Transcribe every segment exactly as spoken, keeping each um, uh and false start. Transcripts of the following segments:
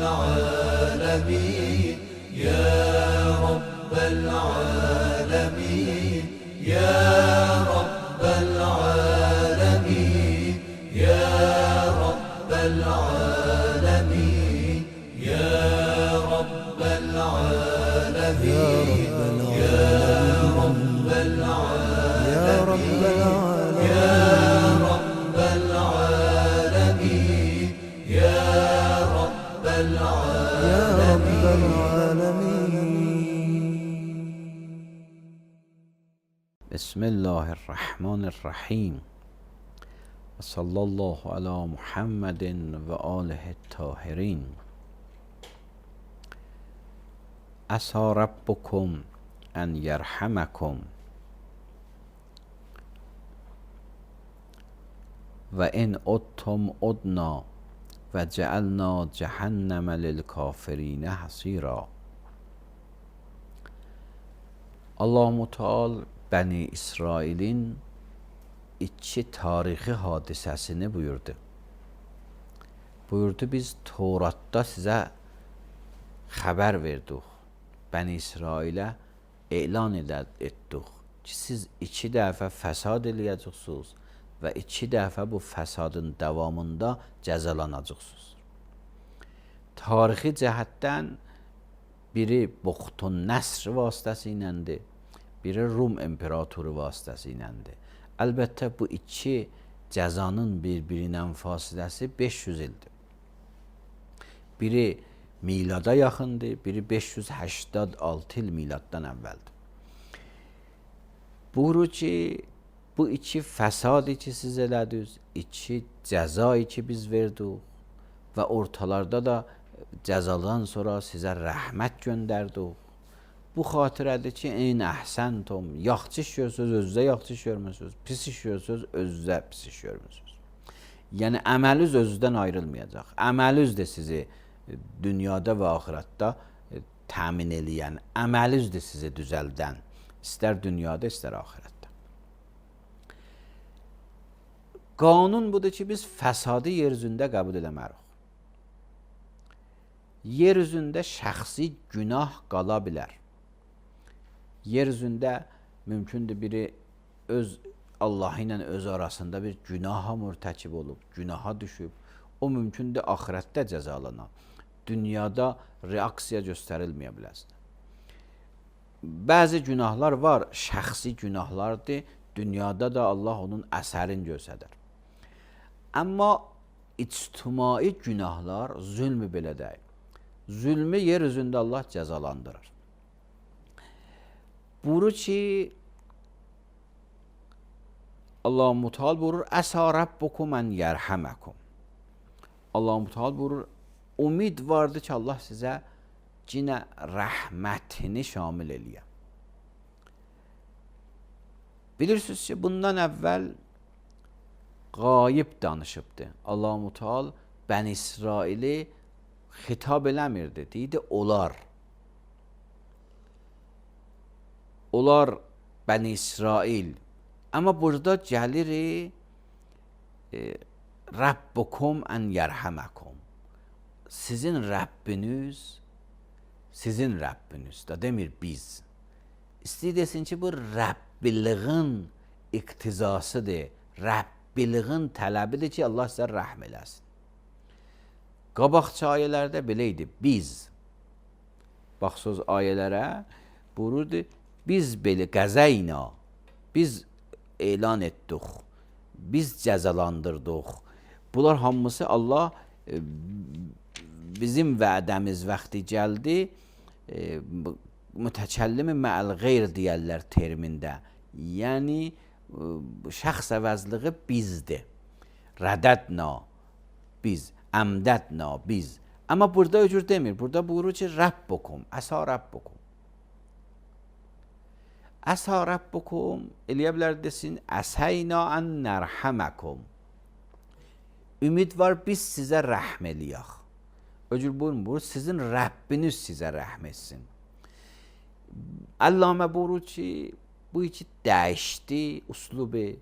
العالمين يا رب العالمين يا رب العالمين يا رب العالمين يا رب العالمين يا رب العالمين يا رب العالمين يا رب العالمين. بسم الله الرحمن الرحیم و صلی الله علی محمد و آله الطاهرین. عسی ربکم ان یرحمکم و ان عدتم عدنا و جعلنا جهنم للکافرین حصیرا. Allah Teala Bəni İsrailin iki tarixi hadisəsini buyurdu. Buyurdu, biz Tevratda sizə xəbər verdik. Bəni İsrailə elan etdik ki, siz iki dəfə fəsad eləyəcəksiniz və iki dəfə bu fəsadın davamında cəzalanacaqsınız. Tarixi cəhətdən biri Buxtun Nəsr vasitəsiyləndir, biri Rum imperatoru vasitəsiyləndir. Əlbəttə bu iki cəzanın bir-birinə fasiləsi beş yüz ildir. Biri milada yaxındır, biri beş yüz səksən altı il miladdan əvvəldir. Buyurur ki, bu iki fəsadı ki siz elədiniz, iki cəzayı ki biz verdik və ortalarda da cəzadan sonra sizə rəhmət göndərdik. Bu xatirədir ki, eyn əhsəntum, yaxşı iş görürsünüz, özünüzə yaxşı iş görmürsünüz, pis iş görürsünüz, özünüzə pis iş görmürsünüz. Yəni əməliniz özünüzdən ayrılmayacaq. Əməliniz də sizi dünyada və axirətdə təmin eləyən, əməliniz də sizi düzəldən, istər dünyada, istər axirətdə. Qanun budur ki, biz fəsadı yer üzündə qəbul eləmərik. Yer üzündə şəxsi günah qala bilər. Yer üzündə mümkündür biri öz Allah ilə öz arasında bir günaha mürtəkib olub, günaha düşüb. O mümkündür axirətdə cəzalana. Dünyada reaksiya göstərilməyə biləsin. Bəzi günahlar var, şəxsi günahlardır. Dünyada da Allah onun əsərini göstərir. Amma ictimai günahlar zülmü belə deyil. Zülmü yer üzündə Allah cəzalandırır. Buyurur ki, Allah-u Teala buyurur, əsə rabbukum ən yərhəməkum. Allah-u Teala buyurur, ümid vardır ki, Allah sizə cinə rəhmətini şamil eləyə. Bilirsiniz ki, bundan əvvəl qayib danışıbdı. Allah-u Teala Bəni İsraili xitab eləmirdi, deyildi, onlar. Onlar Bəni İsrail. Amma burada gəlir e, Rabbukum ən yərhəməkum. Sizin Rəbbiniz, sizin Rəbbiniz da demir biz. İstəyir desin ki, bu Rəbbiliğin iqtizasıdır, Rəbbiliğin tələbidir ki, Allah sizə rəhm eləsin. Qabaqçı ayələrdə belə idi, biz. Baxsız ayələrə buyururdu, biz belə qəzəyna, biz elan etdik, biz cəzalandırdıq. Bunlar hamısı Allah e, bizim vədəmiz vaxtı gəldi, e, mütəkəllimi mə'əl qeyr deyərlər termində. Yəni, e, şəxs əvəzliği bizdir. Rədədna, biz. Əmdədna, biz. Amma burada öcür demir. Burada buyurur ki, Rabbukum, əsə Rabbukum. Əsə Rabbukum, eləyə bilər desin, əsəyna ən nərhəməkum. Ümid var, biz sizə rəhm eləyək. Öcür buyurur, sizin Rəbbiniz sizə rəhm etsin. Allamə buyurur ki, bu iki dəyişdi uslubu.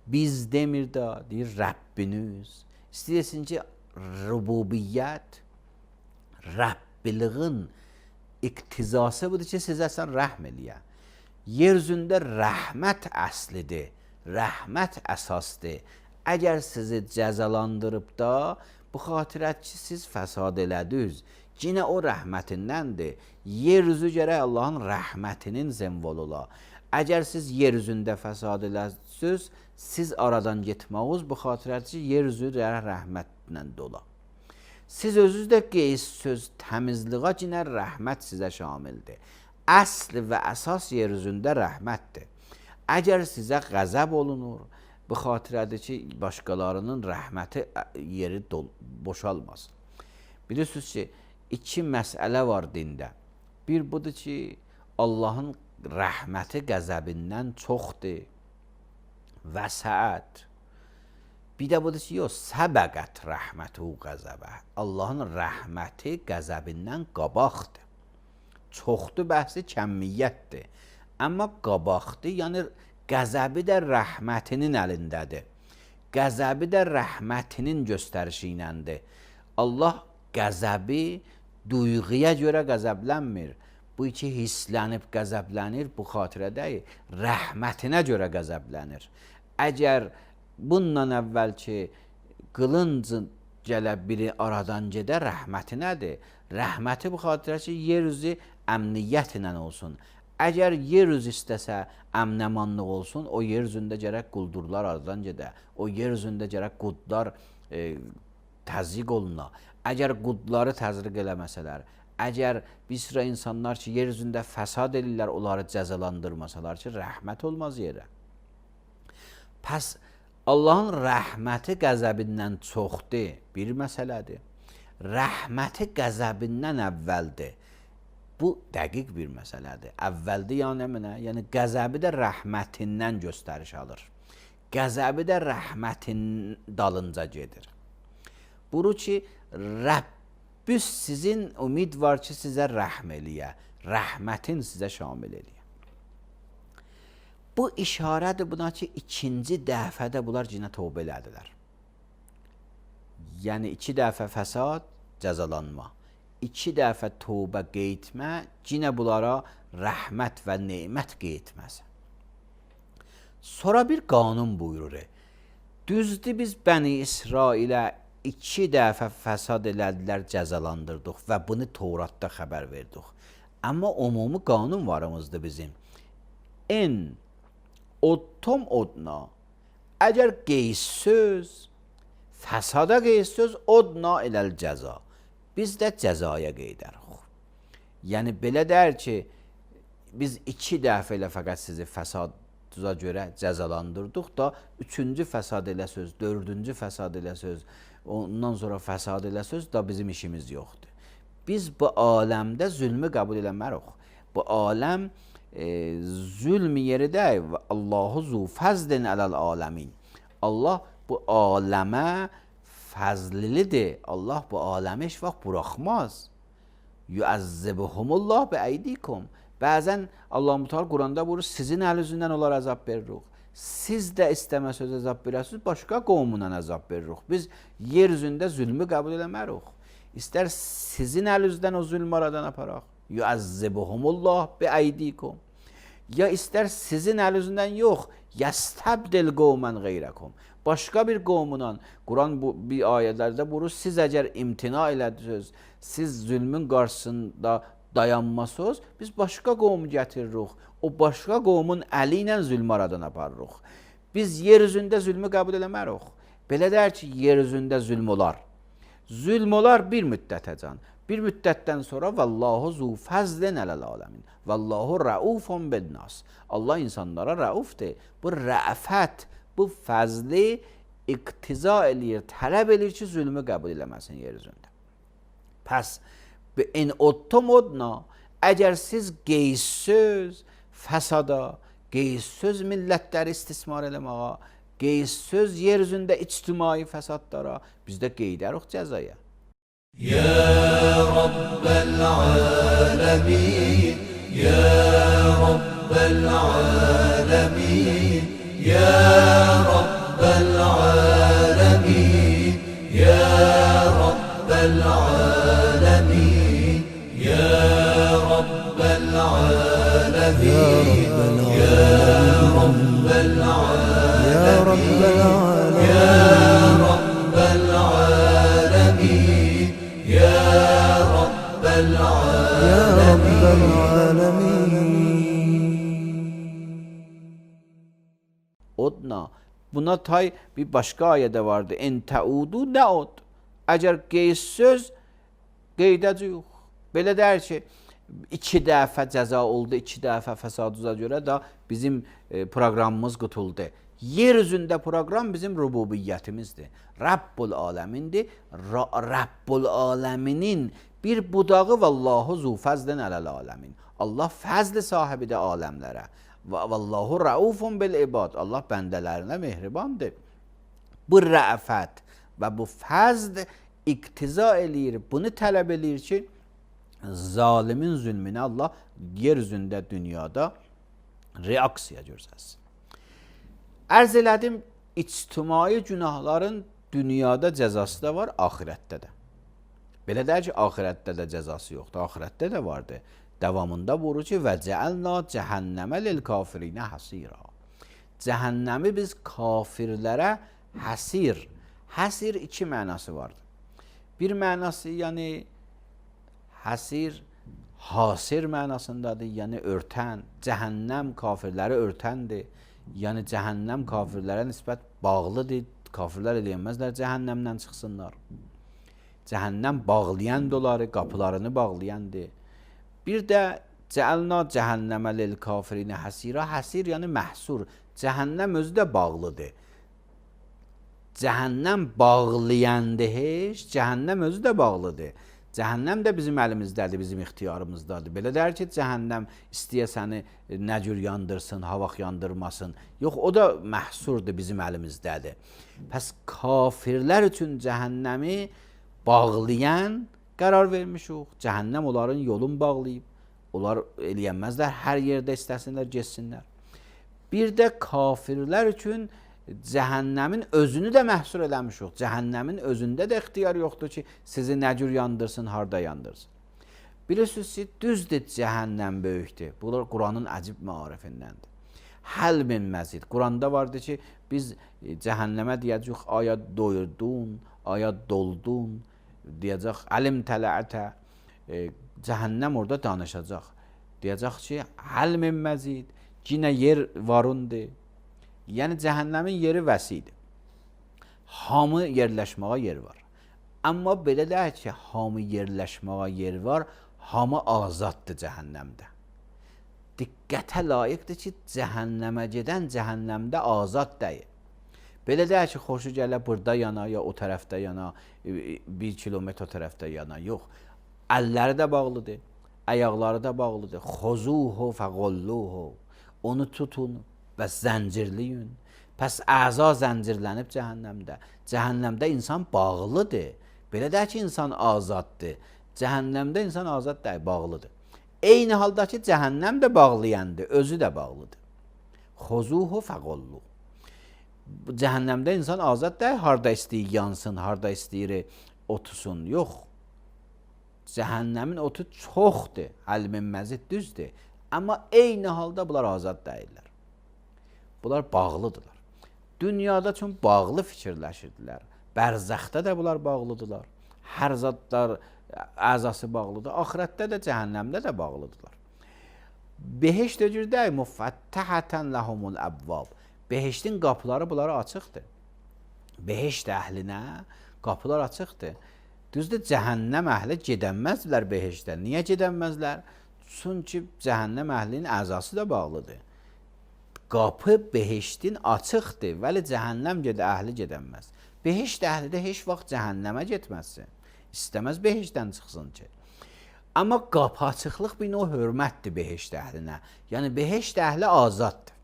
Biz demir də, deyir Rəbbiniz. İstəyirsin ki, rububiyyət, Rəbbiliğin iqtizası budur ki, sizə sən rəhm eləyə. Yer üzündə rəhmət əslidir, rəhmət əsasdır. Əgər sizi cəzalandırıb da, bu xatirət ki, siz fəsad elədiniz, yenə o rəhmətindəndir. Yer üzü gərək Allahın rəhmətinin zemvol ola. Əgər siz yer üzündə fəsad elədiniz, siz aradan getməyiz, bu xatirət ki, yer üzü gərək rəhmətlə dola. Siz özünüz də qeysöz təmizliğə yenə rəhmət sizə şamildir. Əsl və əsas yer üzündə rəhmətdir. Əgər sizə qəzəb olunur, bu xatirədir ki, başqalarının rəhməti yeri boşalmasın. Bilirsiniz ki, iki məsələ var dində. Bir budur ki, Allahın rəhməti qəzəbindən çoxdur. Vəsət. Bir də budur ki, yox, səbəqət rəhmətu qəzəbə. Allahın rəhməti qəzəbindən qabaqdır. Çoxdur bəhsi kəmiyyətdir. Amma qabaqdır, yəni qəzəbi də rəhmətinin əlindədir. Qəzəbi də rəhmətinin göstərişi iləndir. Allah qəzəbi duyğuya görə qəzəblənmir. Bu iki hislənib qəzəblənir, bu xatirədəyir. Rəhmətinə görə qəzəblənir. Əgər bundan əvvəl ki, qılıncı gələ biri aradan gedə, rəhməti nədir? Rəhməti bu xatirə ki, yer üzü əmniyyət ilə olsun. Əgər yer üzü istəsə, əmnəmanlıq olsun, o yer üzündə gərək quldurlar aradan gedə. O yer üzündə gərək qudlar e, təzyiq oluna. Əgər qudları təzyiq eləməsələr, əgər bir sıra insanlar ki, yer üzündə fəsad edirlər, onları cəzalandırmasalar ki, rəhmət olmaz yerə. Pəs, Allahın rəhməti qəzəbindən çoxdur, bir məsələdir. Rəhməti qəzəbindən əvvəldir. Bu dəqiq bir məsələdir. Əvvəldir yəni mənə, yəni qəzəbi də rəhmətindən göstəriş alır. Qəzəbi də rəhmətin dalınca gedir. Buru ki, Rəbbüs sizin ümid var ki, sizə rəhm eləyə, rəhmətin sizə şamil eləyə. Bu işarədir buna ki, ikinci dəfədə bunlar yenə tövbə elədilər. Yəni iki dəfə fəsad, cəzalanma. İki dəfə tövbə qeytmə, yenə bunlara rəhmət və nemət qeytməsi. Sonra bir qanun buyurur. Düzdür, biz Bəni İsrailə iki dəfə fəsad elədilər, cəzalandırdıq və bunu Tevratda xəbər verdik. Amma umumi qanun varımızdır bizim. En ottom odna, əgər qeysöz, fəsada qeysöz, odna eləl cəza. Biz də cəzaya qeydərik. Yəni, belə dər ki, biz iki dəfə ilə fəqət sizi fəsaduza görə cəzalandırdıq da, üçüncü fəsad elə söz, dördüncü fəsad elə söz, ondan sonra fəsad elə söz da bizim işimiz yoxdur. Biz bu aləmdə zülmü qəbul eləmərik. Bu aləm e, zülm yeri də Allahu zu fəzlin ələl aləmin. Allah bu aləmə fəzlilidir. Allah bu aləmi heç vaxt buraxmaz. Yuəzzibhumullah bi əydikum. Bəzən Allah Mütəala Quranda buyurur, sizin əl üzündən onlara əzab veririk. Siz də istəməsəz əzab verəsiniz, başqa qovmundan əzab veririk. Biz yer üzündə zülmü qəbul eləmərik. İstər sizin əl üzdən o zülmü aradan aparaq. Yuəzzibhumullah bi əydikum. Ya istər sizin əl üzündən yox, yəstəbdil qovmən qeyrəkum. Başqa bir qovmundan, Quran bu bir ayələrdə buyurur, siz əgər imtina elədiniz, siz zülmün qarşısında dayanmasınız, biz başqa qovmu gətiririk. O başqa qovmun əli ilə zülmü aradan aparırıq. Biz yer üzündə zülmü qəbul eləmərik. Belə deyər ki, yer üzündə zülm olar. Zülm olar bir müddətəcən. Bir müddətdən sonra vallahu zu fəzlin ələl aləmin. Vallahu rəufun bin nas. Allah insanlara rəufdir. Bu rəfət, bu fəzli iqtiza eləyir, tələb eləyir ki, zülmü qəbul eləməsin yer üzündə. Pəs, in ottom odna, əgər siz qeysöz, fəsada, qeysöz millətləri istismar eləməğa, qeysöz yer üzündə ictimai fəsadlara, biz də qeydərik cəzaya. Ya Rabbel alemin, Ya Rabbel alemin, Ya Rabbel alemin, Ya Rabbel alemin. Odna. Buna tay bir başka ayede vardı. En taudu naud. Eğer qeyd-söz qeydəci yox. Belə deyir ki, iki dəfə cəza oldu, iki dəfə fəsaduza görə də bizim e, proqramımız qutuldu. Yer üzündə proqram bizim rububiyyətimizdir. Rabbul aləmindir. Ra Rabbul aləminin bir budağı vallahu zu fəzlin aləl aləmin. Allah fəzl sahibidir aləmlərə. Və vallahu raufun bil ibad. Allah bəndələrinə mehribandır. Bu rəfət və bu fəzl iktiza eləyir. Bunu tələb eləyir ki, zalimin zülmünə Allah yer üzündə dünyada reaksiya göstərsin. Ərz elədim, ictimai günahların dünyada cəzası da var, axirətdə də. Belə deyək ki, axirətdə də cəzası yoxdur, axirətdə də vardır. Davamında buyurur ki, və cəəlna cəhənnəmə lil kafirinə həsira. Cəhənnəmi biz kafirlərə həsir. Həsir iki mənası vardır. Bir mənası, yəni həsir, hasir mənasındadır, yəni örtən. Cəhənnəm kafirləri örtəndir. Yəni cəhənnəm kafirlərə nisbət bağlıdır. Kafirlər eləyənməzlər cəhənnəmdən çıxsınlar. Cəhənnəm bağlayan doları, qapılarını bağlayandır. Bir də cəəlna cəhənnəmə lil kafirinə həsira. Həsir yəni məhsur. Cəhənnəm özü də bağlıdır. Cəhənnəm bağlayandır heç, cəhənnəm özü də bağlıdır. Cəhənnəm də bizim əlimizdədir, bizim ixtiyarımızdadır. Belə deyir ki, cəhənnəm istəyə səni nə cür yandırsın, havaq yandırmasın. Yox, o da məhsurdur, bizim əlimizdədir. Pəs kafirlər üçün cəhənnəmi bağlayan qərar vermişik. Cəhənnəm onların yolunu bağlayıb. Onlar eləyənməzlər, hər yerdə istəsinlər, geçsinlər. Bir də kafirlər üçün cəhənnəmin özünü də məhsur eləmişik. Cəhənnəmin özündə də ixtiyar yoxdur ki, sizi nə cür yandırsın, harda yandırsın. Bilirsiniz ki, düzdür, cəhənnəm böyükdür. Bunlar Quranın əcib maarifindəndir. Həl min məzid. Quranda vardır ki, biz cəhənnəmə deyəcək, aya doyurdun, aya doldun, deyəcək, əlim tələətə, e, cəhənnəm orada danışacaq. Deyəcək ki, həl min məzid, yenə yer varundur. Yəni cəhənnəmin yeri vəsidir. Hamı yerləşməyə yer var. Amma belə deyək ki, hamı yerləşməyə yer var, hamı azaddır cəhənnəmdə. Diqqətə layiqdir ki, cəhənnəmə gedən cəhənnəmdə azad deyil. Belə deyək ki, xoşu gələ burada yana, ya o tərəfdə yana, bir kilometr o tərəfdə yana. Yox, əlləri də bağlıdır, əyaqları da bağlıdır. Xozuhu fəqolluhu. Onu tutun və zəncirliyin. Pəs əza zəncirlənib cəhənnəmdə. Cəhənnəmdə insan bağlıdır. Belə deyək ki, insan azaddır. Cəhənnəmdə insan azad deyil, bağlıdır. Eyni halda ki, cəhənnəm də bağlayandır, özü də bağlıdır. Xozuhu fəqolluhu. Cəhənnəmdə insan azad deyil, harda istəyir yansın, harda istəyir otusun. Yox. Cəhənnəmin otu çoxdur, əlmin məzid düzdür. Amma eyni halda bunlar azad deyirlər. Bunlar bağlıdırlar. Dünyada üçün bağlı fikirləşirdilər. Bərzəxdə də bunlar bağlıdırlar. Hər zadlar əzası bağlıdır. Axirətdə də, cəhənnəmdə də bağlıdırlar. Behişt öcürdə müfəttəhətən ləhumul əbvab. Behiştin qapıları bunlara açıqdır. Behişt əhlinə qapılar açıqdır. Düzdür, cəhənnəm əhli gedənməzlər behiştə. Niyə gedənməzlər? Çünki cəhənnəm əhlinin əzası da bağlıdır. Qapı behiştin açıqdır, vəli cəhənnəm gedə əhli gedənməz. Behişt əhli də heç vaxt cəhənnəmə getməzsin. İstəməz behiştdən çıxsın ki. Amma qapı açıqlıq bir növ hörmətdir behişt əhlinə. Yəni behişt əhli azaddır.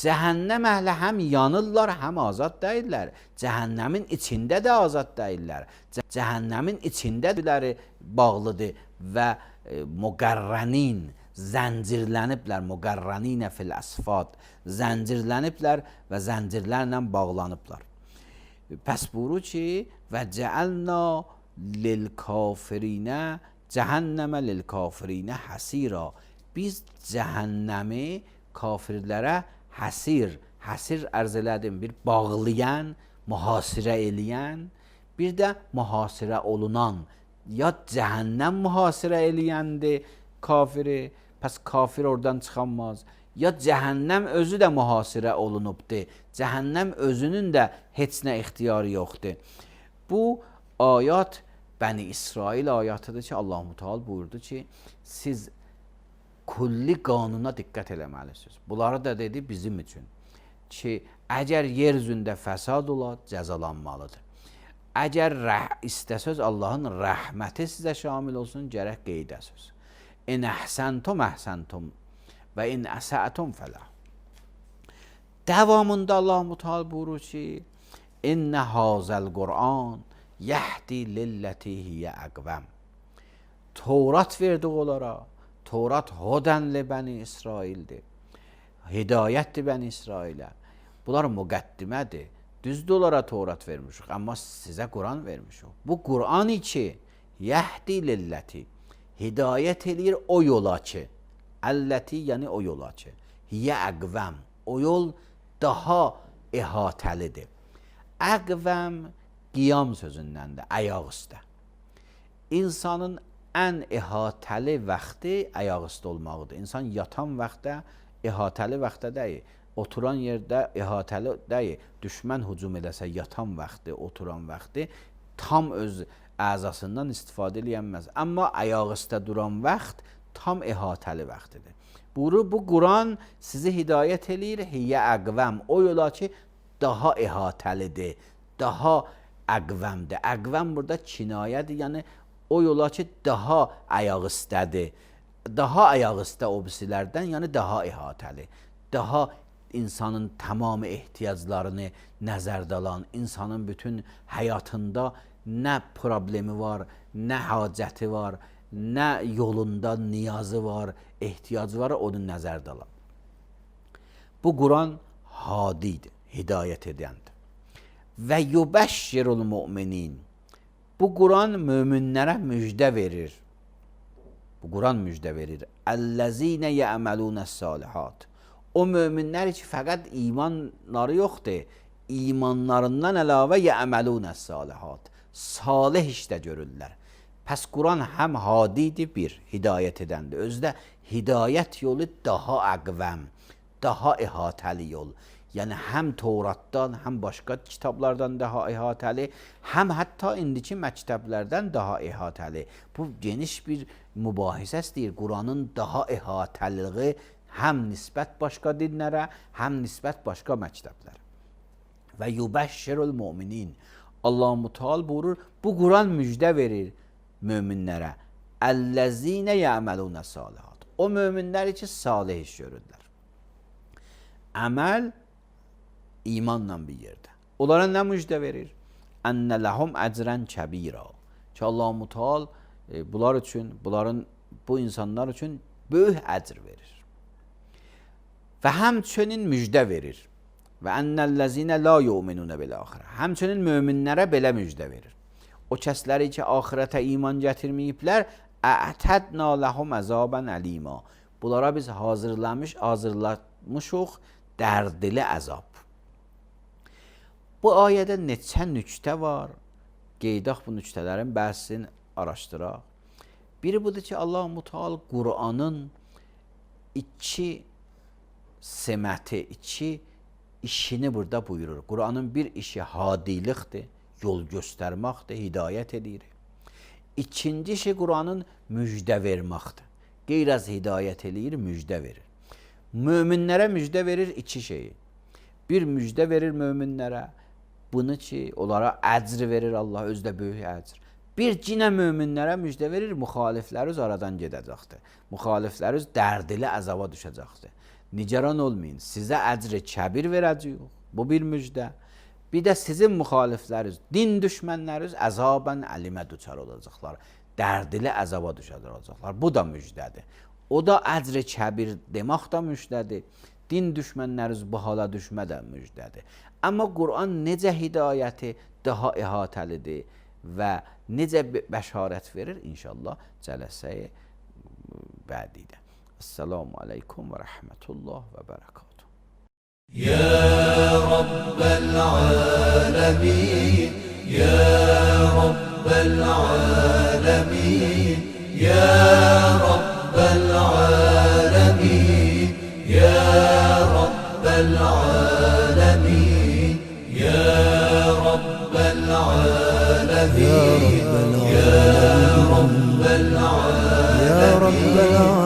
Cəhənnəm əhli həm yanırlar, həm azad deyirlər. Cəhənnəmin içində də azad deyirlər. Cəhənnəmin içindədirləri bağlıdır və e, müqərrənin, zəncirləniblər, müqərrəninə fil əsfad, zəncirləniblər və zəncirlərlə bağlanıblar. Pəs buyurur ki, və cəəlna lil kafirinə, cəhənnəmə lil kafirinə həsira. Biz cəhənnəmi kafirlərə həsir, həsir ərz elədim, bir bağlayan, mühasirə eləyən, bir də mühasirə olunan, ya cəhənnəm mühasirə eləyəndi kafiri, pəs kafir oradan çıxanmaz. Ya cəhənnəm özü də mühasirə olunubdur. Cəhənnəm özünün də heç nə ixtiyarı yoxdur. Bu ayat Bəni İsrail ayatıdır ki, Allah-u Teala buyurdu ki, siz kulli qanuna diqqət eləməlisiniz. Bunları da dedi bizim üçün ki, əgər yer üzündə fəsad ola, cəzalanmalıdır. Əgər istəsəz Allahın rəhməti sizə şamil olsun, gərək qeydəsiz. İn əhsəntum əhsəntum və in əsətum fələ. Davamında Allah-u Teala buyurur ki, İnnə hazəl Qur'an yəhdi lilləti hiyyə əqvəm. Tevrat verdik onlara. Tevrat hodənli Bəni İsraildir. Hidayətdir Bəni İsrailə. Bunlar müqəddimədir. Düzdür onlara Tevrat vermişik, amma sizə Quran vermişik. Bu Quran ki, yəhdi lilləti, hidayət eləyir o yola ki, əlləti yəni o yola ki, hiyyə əqvəm, o yol daha əhatəlidir. Əqvəm qiyam sözündəndir, ayaq üstə. İnsanın ən əhatəli vaxtı ayaq üstə olmaqdır. İnsan yatan vaxtda əhatəli vaxtda deyil. Oturan yerdə əhatəli deyil. Düşmən hücum edəsə yatan vaxtı, oturan vaxtı tam öz əzasından istifadə eləyənməz. Amma ayaq üstə duran vaxt tam əhatəli vaxtıdır. Buyurur, bu Quran sizi hidayət eləyir, hiyyə əqvəm, o yola ki, daha əhatəlidir, daha əqvəmdir. Əqvəm burada kinayədir, yəni o yola ki, daha ayaq üstədir. Daha ayaq üstə o birisilərdən, yəni daha əhatəli, daha insanın tamamı ehtiyaclarını nəzərdə alan, insanın bütün həyatında nə problemi var, nə hacəti var, nə yolunda niyazı var, ehtiyacı var, onu nəzərdə alan. Bu Quran hadidir, hidayət edəndir. Və yubəşşirul müminin. Bu Quran möminlərə müjdə verir. Bu Quran müjdə verir. Əl-ləzinə yə'məlunəs-salihat. O möminlər ki, fəqət imanları yoxdur. İmanlarından əlavə yə'məlunəs-salihat. Salih işdə görürlər. Pəs Quran həm hadidir, bir, hidayət edəndir. Özdə hidayət yolu daha əqvəm, daha əhatəli yol. Yəni həm Tevratdan, həm başqa kitablardan daha əhatəli, həm hətta indiki məktəblərdən daha əhatəli. Bu geniş bir mübahisədir. Quranın daha əhatəliliği həm nisbət başqa dinlərə, həm nisbət başqa məktəblərə. Və yubəşşirul müminin. Allah-u Teala buyurur, bu Quran müjdə verir möminlərə. Əl-ləzinə yə'məlunəs-salihat. O möminləri ki, salih iş görürlər. Əməl imanla bir yerdə. Onlara nə müjdə verir? Ənnə ləhum əcrən kəbira. Ki Allah-u Teala e, bunlar üçün, bunların, bu insanlar üçün böyük əcr verir. Və həmçinin müjdə verir. Və ennellezine la yu'minun bil axirə. Həmçinin möminlərə belə müjdə verir. O kəsləri ki, axirətə iman gətirməyiblər, a'tadna lahum azaban alima. Bunlara biz hazırlamış, hazırlamışıq dərdli əzab. Bu ayədə neçə nüktə var? Qeydaq bu nüktələrin bəhsini araşdıraq. Biri budur ki, Allah-u Teala Qur'anın iki seməti, iki işini burada buyurur. Quranın bir işi hadilikdir, yol göstərməkdir, hidayət edir. İkinci işi Quranın müjdə verməkdir. Qeyraz hidayət edir, müjdə verir. Möminlərə müjdə verir iki şeyi. Bir müjdə verir möminlərə, bunu ki, onlara əcr verir Allah, özdə böyük əcr. Bir cinə möminlərə müjdə verir, müxalifləriniz aradan gedəcəkdir. Müxalifləriniz dərdli əzaba düşəcəkdir. Nigaran olmayın, sizə əcr-i kəbir verəcəyik. Bu bir müjdə. Bir də sizin müxalifləriniz, din düşmənləriniz əzabən əlimə düçar olacaqlar. Dərdli əzaba düşəcəklər. Bu da müjdədir. O da əcr-i kəbir demək də müjdədir. Din düşmənləriniz bu hala düşmə də müjdədir. Amma Quran necə hidayəti daha əhatəlidir və necə bəşarət verir? İnşallah cələsəyə bədidə. Esselamu aleykum və rəhmətullah və bərəkatuhu. Ya Rabbel alemin, Ya Rabbel alemin. العالمين يا رب العالمين يا رب العالمين يا رب العالمين